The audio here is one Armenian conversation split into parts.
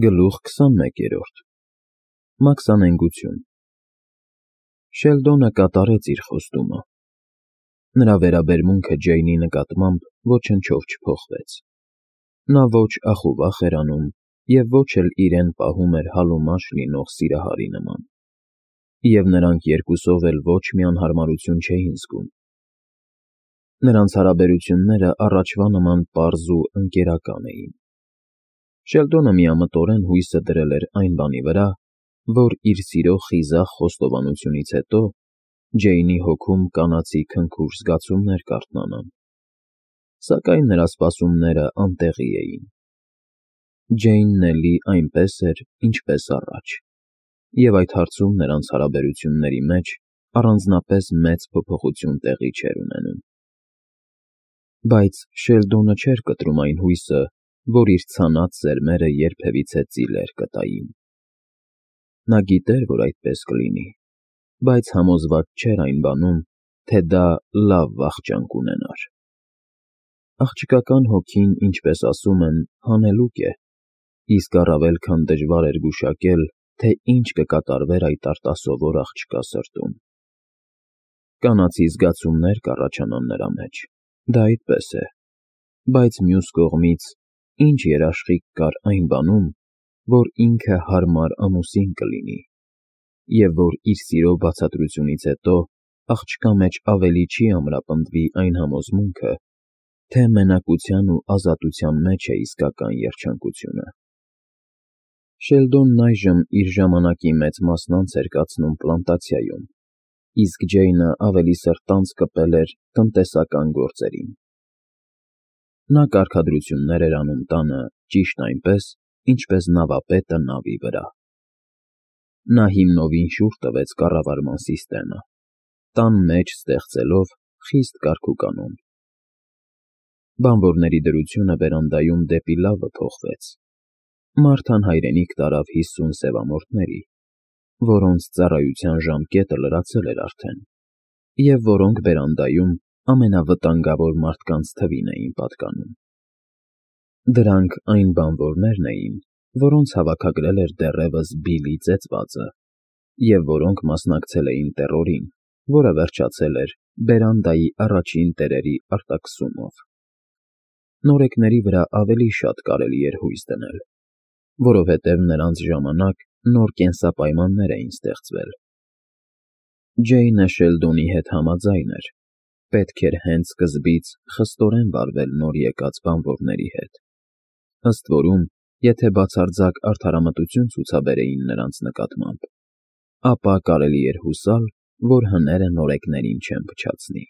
Գլուխ 21 Մաքսանենգություն Շելդոնը կատարեց իր խոստումը։ Նրա վերաբերմունքը Ջեյնի նկատմամբ ոչնչով չփոխվեց։ Նա ոչ ախուվախ էր անում և ոչ էլ իրեն պահում էր հալումաչ լինող սիրահարի նման, և նրանք երկուսով էլ ոչ մի անհարմարություն չէին զգում։ Նրանց հարաբերությունները առաջվա նման պարզ ու ընկերական էին։ Շելդոնը միամտորեն հույսը դրել էր այն բանի վրա, որ իր սիրո խիզախ խոստովանությունից հետո Ջեյնի հոգում կանացի քնքուշ զգացումներ կարթնանան, սակայն նրա սպասումները անտեղի էին։ Ջեյնն էլի այնպես էր, ինչպես առաջ, և այդ հարցում նրանց հարաբերությունների մեջ առանձնապես մեծ փոփոխություն տեղի չէր ունենում։ Բայց Շելդոնը չէր կտրում այն հույսը, որ իր ցանած սերմերը երբևիցե ծիլեր կտային։ Նա գիտեր, որ այդպես կլինի, բայց համոզված չէր այն բանում, թե դա լավ վախճան կունենար։ Աղջկական հոգին, ինչպես ասում են, հանելուկ է, իսկ առավել քան դժվար էր գուշակել, թե ինչ կկատարվեր այդ արտասովոր աղջկա սրտում։ Կանացի զգացումներ կառաջանան նրա մեջ, դա այդպես է, բայց մյուս կողմից ինչ երաշխիք կար այն բանում, որ ինքը հարմար ամուսին կլինի, և որ իր սիրո բացատրությունից հետո աղջկա մեջ ավելի չի ամրապնդվի այն համոզմունքը, թե մենակության ու ազատության մեջ է իսկական երջանկությունը։ Շելդոնն այժմ իր ժամանակի մեծ մասն անց էր կացնում պլանտացիայում, իսկ Ջեյնը ավելի սրտանց կպել էր տնտեսական գործերին։ Նա կարգադրություններ էր անում տանը ճիշտ այնպես, ինչպես նավապետը նավի վրա։ Նա հիմնովին շուռ տվեց կառավարման սիստեմը, տան մեջ ստեղծելով խիստ կարգուկանոն։ Բանվորների դրությունը վերանդայում դեպի լավը փոխվեց։ Մարթան հայրենիք տարավ 50 սևամորթների, որոնց ծառայության ժամկետը լրացել էր արդեն, և որոնք բերանդայում ամենավտանգավոր մարդկանց թվին էին պատկանում։ Դրանք այն բանվորներն էին, որոնց հավաքագրել էր դեռևս Բիլի ծեծվածը, և որոնք մասնակցել էին տեռորին, որը վերջացել էր բերանդայի առաջին տերերի արտաքսումով։ Նորեկների վրա ավելի շատ կարելի էր հույս դնել, որովհետև նրանց ժամանակ նոր կենսապայմաններ էին ստեղծվել։ Ջեյնը Շելդոնի հետ համաձայն էր, պետք էր հենց սկզբից խստորեն վարվել նոր եկած բանվորների հետ, ըստ որում, եթե բացարձակ արդարամտություն ցուցաբերեին նրանց նկատմամբ, ապա կարելի էր հուսալ, որ հները նորեկներին չեն փչացնի։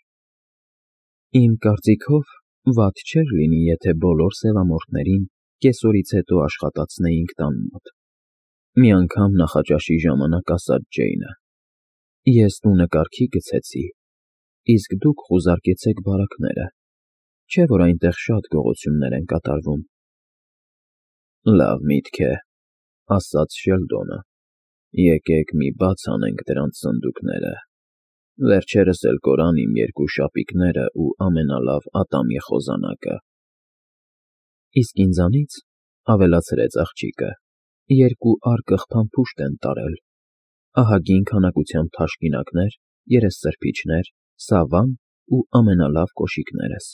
Իմ կարծիքով, վատ չէր լինի, եթե բոլոր սևամորթներին կեսօրից հետո աշխատացնեինք տան մոտ, մի անգամ նախաճաշի ժամանակ ասաց Ջեյնը։ Ես տունը կարգի գցեցի, իսկ դուք խուզարկեցեք բարակները, չէ՞ որ այնտեղ շատ գողություններ են կատարվում։ Լավ միտք է, ասաց Շելդոնը, եկեք մի բաց անենք դրանց սնդուկները, վերջերս էլ կորան իմ երկու շապիկները ու ամենալավ ատամի խոզանակը։ Իսկ ինձանից, ավելացրեց աղջիկը, երկու արկղ փամփուշտ են տարել, ահագին քանակությամբ թաշկինակներ, երեսսրբիչներ, սավան ու ամենալավ կոշիկներս։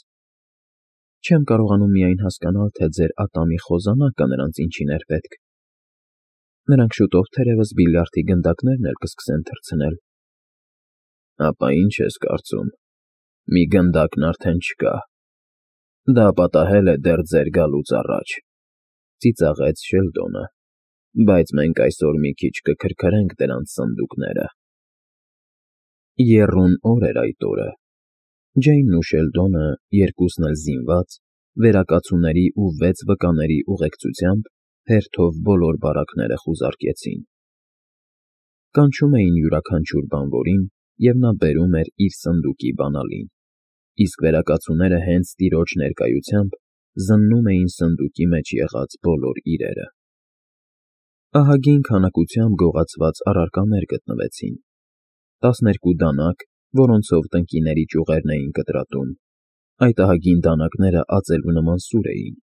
Չեմ կարողանում միայն հասկանալ, թե ձեր ատամի խոզանակը նրանց ինչին էր պետք։ Նրանք շուտով թերևս բիլիարդի գնդակներն էլ կսկսեն թռցնել։ Ապա ինչ ես կարծում, մի գնդակն արդեն չկա։ Դա պատահել է դեռ ձեր գալուց առաջ, ծիծաղեց Շելդոնը, բայց մենք այսօր մի քիչ կքրքրենք դրանց սնդուկները։ Եռուն օր էր այդ օրը։ Ջեյնն ու Շելդոնը, երկուսն էլ զինված, վերակացուների ու 6 վկաների ուղեկցությամբ հերթով բոլոր բարակները խուզարկեցին։ Կանչում էին յուրաքանչյուր բանվորին, և նա բերում էր իր սնդուկի բանալին, իսկ վերակացուները հենց տիրոջ ներկայությամբ զննում էին սնդուկի մեջ եղած բոլոր իրերը։ Ահագին քանակությամբ գողացված առարկաներ գտնվեցին, 12 դանակ, որոնցով տնկիների ճյուղերն էին կտրատում, այդ ահագին դանակները ածելու նման սուր էին,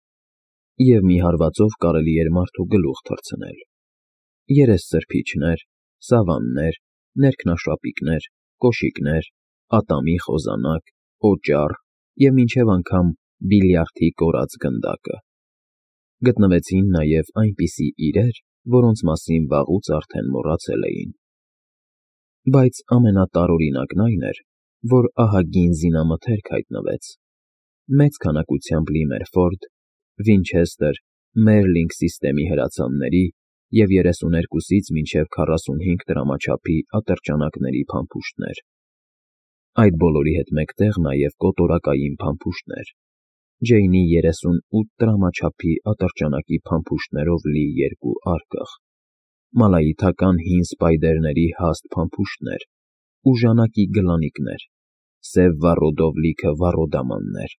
և մի հարվածով կարելի էր մարդու գլուխ թռցնել։ Երեսսրբիչներ, սավաններ, ներքնաշապիկներ, կոշիկներ, ատամի խոզանակ, օճառ և մինչև անգամ բիլիարդի կորած գնդակը։ Գտնվեցին նաև այնպիսի իրեր, որոնց մասին վաղուց արդեն մոռացել էին։ Բայց ամենատարօրինակն այն էր, որ ահագին զինամթերք հայտնվեց։ Մեծ քանակությամբ Լիմերֆորդ, Վինչեսթեր, Մերլինգ սիստեմի հրացանների և 32-ից մինչև 45 դրամաչափի ատրճանակների փամփուշտներ։ Այդ բոլորի հետ մեկտեղ նաև կոտորակային փամփուշտներ, Ջեյնի 38 դրամաչափի ատրճանակի փամփուշտներով լի երկու արկղ, մալայիթական հին սպայդերների հաստ փամփուշտներ, ուժանակի գլանիկներ, սև վառոդով լիքը վառոդամաններ,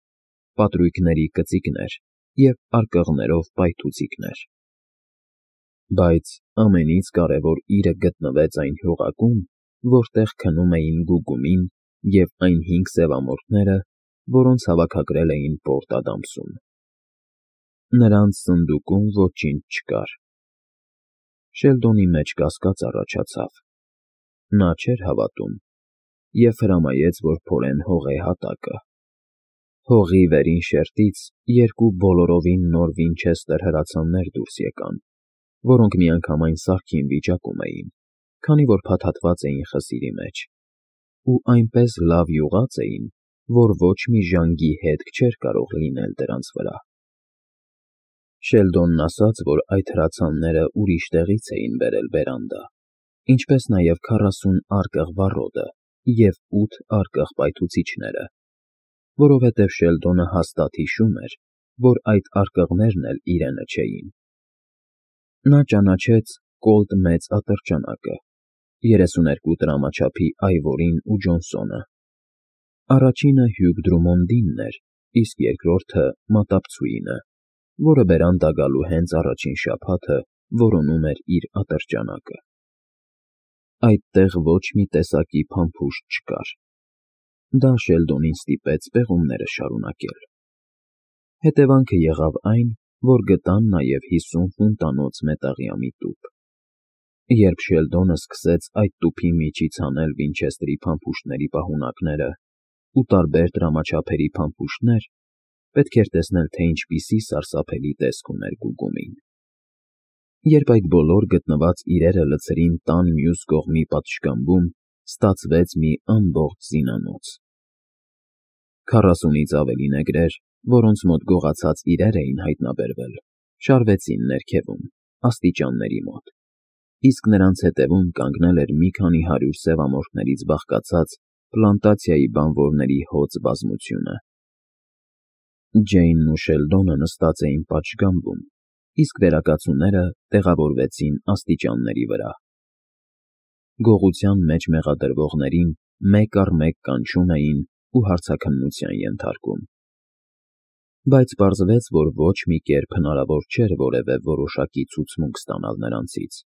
պատրույգների կծիկներ և արկղներով պայթուցիկներ։ Բայց ամենից կարևոր իրը գտնվեց այն հյուղակում, որտեղ քնում էին Գուգումին և այն 5 սևամորթները, որոնց հավաքագրել էին Պորտ Ադամսում։ Նրանց սնդուկում ոչինչ չկար։ Շելդոնի մեջ կասկած առաջացավ։ Նա չէր հավատում և հրամայեց, որ փորեն հողե հատակը։ Հողի վերին շերտից երկու բոլորովին նոր Վինչեսթեր հրացաններ դուրս եկան, որոնք միանգամայն սարքին վիճակում էին, քանի որ փաթաթված էին խսիրի մեջ, ու այնպես լավ յուղած էին, որ ոչ մի ժանգի հետք չէր կարող լինել դրանց վրա։ Շելդոնն ասաց, որ այդ հրացանները ուրիշ տեղից էին բերել բերանդա, ինչպես նաև 40 արկղ վառոդը և 8 արկղ պայթուցիչները, որովհետև Շելդոնը հաստատ հիշում էր, որ այդ արկղներն էլ իրենը չէին։ Նա ճանաչեց Կոլտ մեծ ատրճանակը, 32 դրամաչափի Այվորին ու Ջոնսոնը։ Առաջինը Հյուգ Դրումոնդինն էր, իսկ երկրորդը Մատապցուինը, որը բերանդա գալու հենց առաջին շաբաթը որոնում էր իր ատրճանակը։ Այդտեղ ոչ մի տեսակի փամփուշտ չկար։ Դա Շելդոնին ստիպեց պեղումները շարունակել։ Հետևանքը եղավ այն, որ գտան նաև 50 ֆունտանոց մետաղյամի տուփ։ Երբ Շելդոնը սկսեց այդ տուփի միջից հանել Վինչեսթրի փամփուշտների պահունակները ու տարբեր դրամաչափերի փամփուշտներ, պետք էր տեսնել, թե ինչպիսի սարսափելի տեսք ուներ Գուգումին։ Երբ այդ բոլոր գտնված իրերը լցրին տան մյուս կողմի պատշգամբում, ստացվեց մի ամբողջ զինանոց։ 40-ից ավելի նեգրեր, որոնց մոտ գողացած իրեր էին հայտնաբերվել, շարվեցին ներքևում, աստիճանների մոտ, իսկ նրանց հետևում կանգնել էր մի քանի 100 սևամորթներից բաղկացած պլանտացիայի բանվորների հոծ բազմությունը։ Ջեյնն ու Շելդոնը նստած էին պատշգամբում, իսկ վերակացուները տեղավորվեցին աստիճանների վրա։ Գողության մեջ մեղադրվողներին մեկ առ մեկ կանչում էին ու հարցաքննության ենթարկում։ Բայց պարզվեց, որ ոչ մի կերպ հնարավոր չէր որևէ որոշակի ցուցմունք ստանալ նրանցից։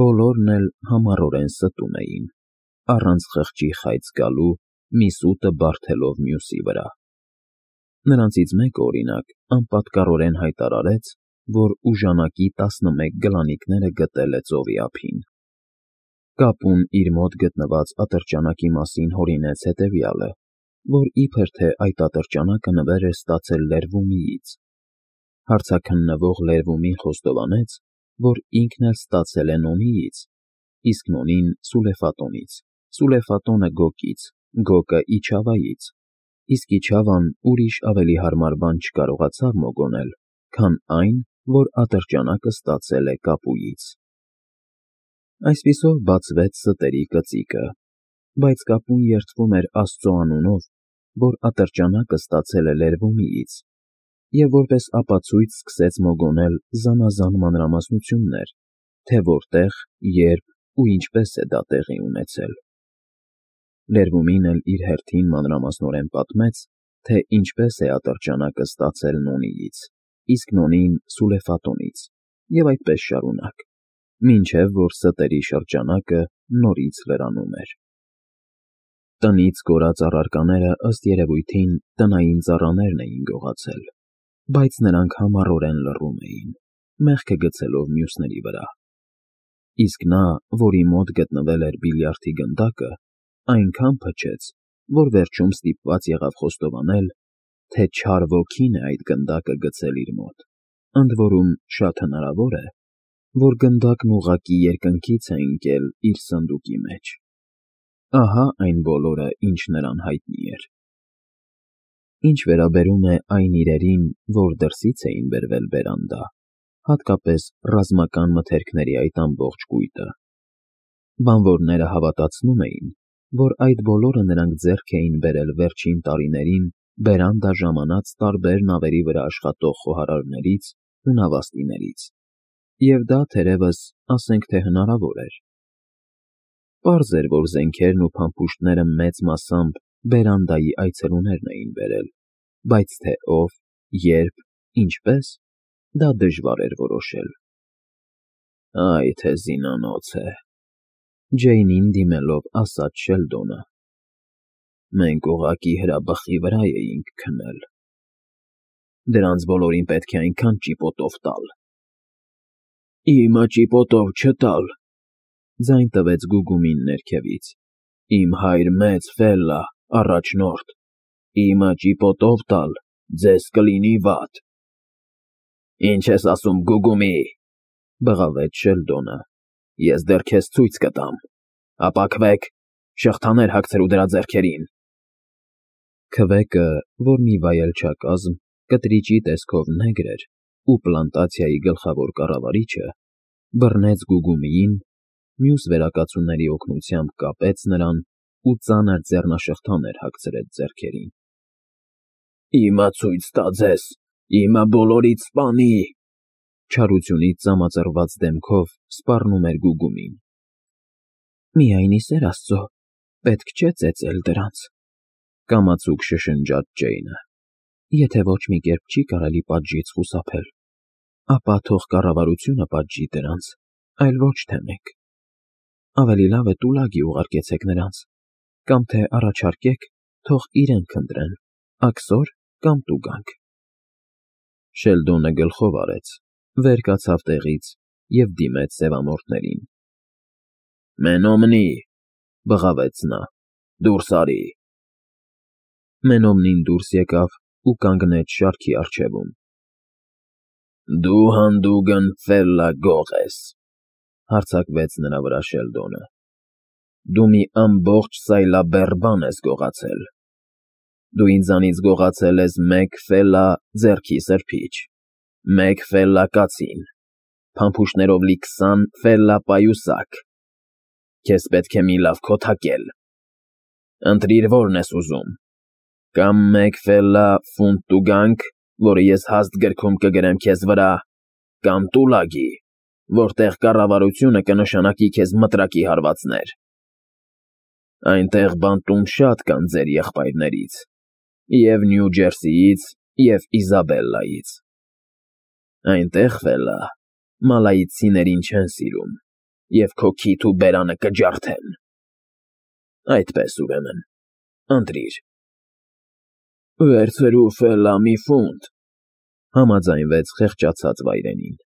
Բոլորն էլ համառորեն ստում էին, առանց խղճի խայծ գալու, մի սուտը բարդելով մյուսի վրա։ Նրանցից մեկը, օրինակ, անպատկառորեն հայտարարեց, որ ուժանակի 11 գլանիկները գտել է ծովի ափին։ Կապուն իր մոտ գտնված ատրճանակի մասին հորինեց հետևյալը, որ իբր թե այդ ատրճանակը նվեր էր ստացել Լերվումիից։ Հարցաքննվող Լերվումին խոստովանեց, որ ինքն էլ ստացել է Նոնիից, իսկ Նոնին Սուլեֆատոնից, Սուլեֆատոնը Գոկից, Գոկը Իչավայից, իսկ Իչավան ուրիշ ավելի հարմար բան չկարողացավ մոգոնել, քան այն, որ ատրճանակը ստացել է Կապույից։ Այսպիսով բացվեց ստերի կծիկը, բայց Կապուն երդվում էր Աստծո անունով, որ ատրճանակը ստացել է Լերվումիից, և որպես ապացույց սկսեց մոգոնել զանազան մանրամասնություններ, թե որտեղ, երբ ու ինչպես է դա տեղի ունեցել։ Լերվումին էլ իր հերթին մանրամասնորեն պատմեց, թե ինչպես է ատրճանակը ստացել Նոնիից, իսկ Նոնին Սուլեֆատոնից, և այդպես շարունակ, մինչև որ ստերի շրջանակը նորից լրանում էր։ Տնից կորած առարկաները, ըստ երևույթին, տնային ծառաներն էին գողացել։ բայց նրանք համառորեն լռում էին, մեղքը գցելով մյուսների վրա։ Իսկ նա, որի մոտ գտնվել էր բիլիարդի գնդակը, այնքան փչեց, որ վերջում ստիպված եղավ խոստովանել, թե չար ոգին է այդ գնդակը գցել իր մոտ, ընդ որում շատ հնարավոր է, որ գնդակն ուղղակի երկնքից է ընկել իր սնդուկի մեջ։ Ահա այն բոլորը, ինչ նրան հայտնի էր։ Ինչ վերաբերում է այն իրերին, որ դրսից էին բերվել բերանդա, հատկապես ռազմական մթերքների այդ ամբողջ կույտը, բանվորները հավատացնում էին, որ այդ բոլորը նրանք ձեռք էին բերել վերջին տարիներին բերանդա ժամանած տարբեր նավերի վրա աշխատող խոհարարներից ու նավաստիներից, և դա թերևս ասենք թե հնարավոր էր։ Պարզ էր, որ զենքերն ու փամփուշտները մեծ մասամբ բերանդայի այցելուներն էին բերել, բայց թե ով, երբ, ինչպես, դա դժվար էր որոշել։ Այ թե զինանոց է, Ջեյնին դիմելով ասաց Շելդոնը։ Մենք ուղղակի հրաբխի վրա էինք քնել։ Դրանց բոլորին պետք է այնքան ճիպոտով տալ։ Իմը ճիպոտով չտալ, ձայն տվեց Գուգումին ներքևից։ Իմ հայր մեծ Ֆելլա, առաջնորդ, իմը ճիպոտով տալ, ձեզ կլինի վատ։ Ինչ ես ասում, Գուգումի, բղավեց Շելդոնը։ Ես դեռ քեզ ցույց կտամ։ Ապակվեք, շղթաներ հագցրու դրա ձեռքերին։ Քվեկը, որ մի վայելչակազմ, կտրիճի տեսքով նեգր էր ու պլանտացիայի գլխավոր կառավարիչը, բռնեց Գուգումիին, մյուս վերակացուների օգնությամբ կապեց նրան ու ծանր ձեռնաշղթաներ հագցրեց ձեռքերին։ Իմը ցույց տա ձեզ, իմը բոլորից սպանի, չարությունից ծամածռված դեմքով սպառնում էր Գուգումին։ Միայն ի սեր Աստծո, պետք չէ ծեծել դրանց, կամացուկ շշնջաց Ջեյնը։ Եթե ոչ մի կերպ չի կարելի պատժից խուսափել, ապա թող կառավարությունը պատժի դրանց, այլ ոչ թե մենք։ Ավելի լավ է տուլագի ուղարկեցեք նրանց, կամ թե առաջարկեք, թող իրենք ընտրեն, աքսոր կամ տուգանք։ Շելդոնը գլխով արեց, վեր կացավ տեղից և դիմեց սևամորթներին։ Մենոմնի, բղավեց նա, դուրս արի։ Մենոմնին դուրս եկավ ու կանգնեց շարքի առջևում։ Դու հանդուգն Ֆելլա գող ես, հարձակվեց նրա վրա Շելդոնը։ Դու մի ամբողջ սայլաբեռ բան ես գողացել։ Դու ինձանից գողացել ես մեկ Ֆելլա ձեռքի սրբիչ, մեկ Ֆելլա կացին, փամփուշտներով լի 20 Ֆելլա պայուսակ։ Քեզ պետք է մի լավ քոթակել։ Ընտրիր, որն ես ուզում։ Կամ մեկ Ֆելլա ֆունտ տուգանք, որը ես հաստ գրքում կգրեմ քեզ վրա, կամ տուլագի, որտեղ կառավարությունը կնշանակի քեզ մտրակի հարվածներ։ Այնտեղ բանտում շատ կան ձեր եղբայրներից, և Նյու Ջերսիից, և Իզաբելլայից։ Այնտեղ, Ֆելլա, մալայիցիներին չեն սիրում, և քո քիթ ու բերանը կջարդեն։ Այդպես ուրեմն, ընտրիր։ Վերցրու Ֆելլա մի ֆունտ, համաձայնվեց խեղճացած վայրենին։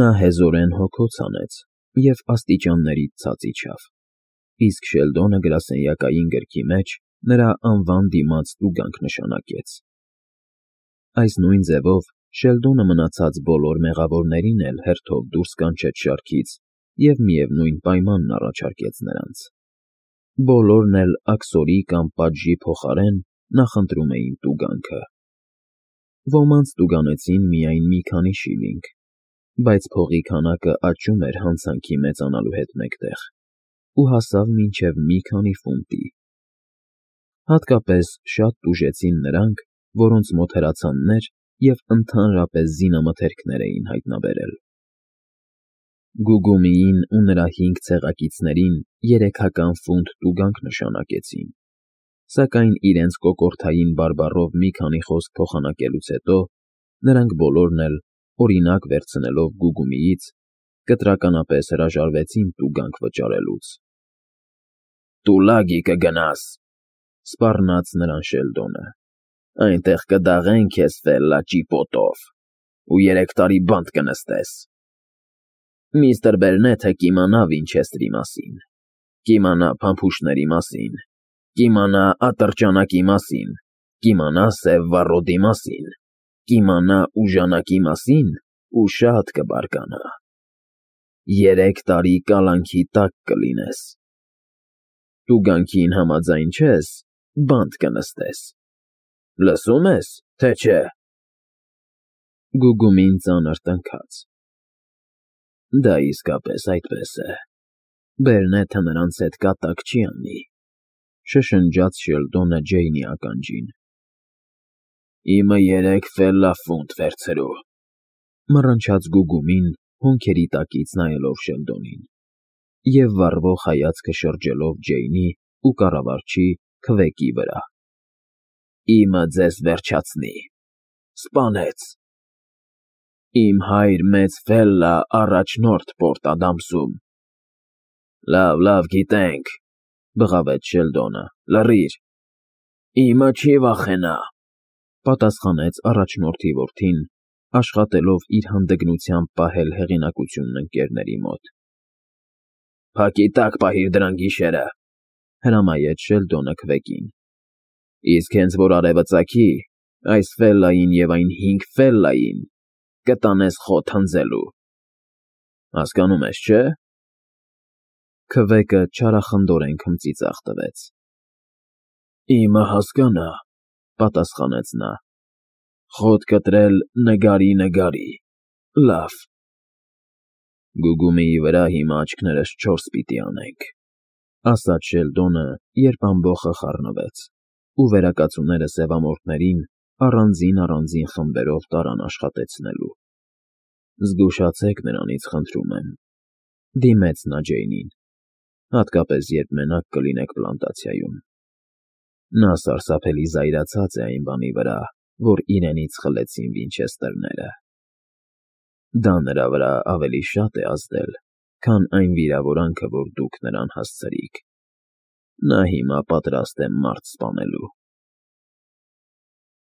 Նա հեզորեն հոգոց հանեց և աստիճաններից ցած իջավ, իսկ Շելդոնը գրասենյակային գրքի մեջ նրա անվան դիմաց տուգանք նշանակեց։ Այս նույն ձևով Շելդոնը մնացած բոլոր մեղավորներին էլ հերթով դուրս կանչեց շարքից և միևնույն պայմանն առաջարկեց նրանց։ Բոլորն էլ աքսորի կամ պատժի փոխարեն նախընտրում էին տուգանքը։ Ոմանց տուգանեցին միայն մի քանի շիլինգ, բայց փողի քանակը աճում էր հանցանքի մեծանալու հետ մեկտեղ ու հասավ մինչև մի քանի ֆունտի։ Հատկապես շատ տուժեցին նրանք, որոնց մոտ հրացաններ և ընդհանրապես զինամթերքներ էին հայտնաբերել։ Գուգումիին ու նրա 5 ցեղակիցներին 300 ֆունտ տուգանք նշանակեցին, սակայն իրենց կոկորդային բարբառով մի քանի խոսք փոխանակելուց հետո նրանք բոլորն էլ, օրինակ վերցնելով Գուգումիից, կտրականապես հրաժարվեցին տուգանք վճարելուց։ Տուլագի կգնաս, սպառնաց նրան Շելդոնը։ Այնտեղ կդաղեն քեզ ֆելլա ճիպոտով ու 3 տարի բանտ կնստես։ Միստր Բերնեթը կիմանա Վինչեստրի մասին, կիմանա փամփուշտների մասին, կիմանա ատրճանակի մասին, կիմանա սև վառոդի մասին, կիմանա ուժանակի մասին ու շատ կբարկանա։ 3 տարի կալանքի տակ կլինես։ Դու գանքին համաձայն չես, բանտ կնստես։ Լսում ես, թե չէ։ Գուգումին ծանր տնքաց։ Դա իսկապես այդպես է։ Բերնեթը նրանց հետ կատակ չի անի, շշնջաց Շելդոնը Ջեյնի ականջին։ Իմը 3 ֆելլա ֆունտ վերցրու, մռնչաց Գուգումին, հոնքերի տակից նայելով Շելդոնին և վառվող հայացքը շրջելով Ջեյնի ու կառավարչի քվեկի վրա։ Իմը ձեզ վերջացնի, սպանեց։ Իմ հայր մեծ ֆելլա առաջնորդ Պորտ Ադամսում։ Լավ, գիտենք, բղավեց Շելդոնը, լռիր։ Իմը չի վախենա, պատասխանեց առաջնորդի որդին, աշխատելով իր հանդգնությամբ պահել հեղինակությունն ընկերների մոտ։ Փակի տակ պահիր դրան գիշերը, հրամայեց Շելդոնը քվեկին։ Իսկ հենց որ արևը ծագի, այս ֆելլային և այն 5 ֆելլային կտանես խոտ հնձելու։ Հասկանում ես, չէ՞։ Քվեկը չարախնդորեն քմծիծաղ տվեց։ Իմը հասկանա, պատասխանեց նա։ Խոտ կտրել նգարի։ Լավ։ Գուգումիի վրա հիմա աչքներս 4 պիտի անենք, ասաց Շելդոնը, երբ ամբոխը խառնվեց, ու վերակացուները սևամորթներին առանձին խմբերով տարան աշխատեցնելու։ Զգուշացեք նրանից, խնդրում եմ, դիմեց նա Ջեյնին, հատկապես երբ մենակ կլինեք պլանտացիայում։ Նա սարսափելի զայրացած է այն բանի վրա, որ իրենից խլեցին Վինչեստրները։ Դա նրա վրա ավելի շատ է ազդել, քան այն վիրավորանքը, որ դուք նրան հասցրիք։ Նա հիմա պատրաստ է մարդ սպանելու։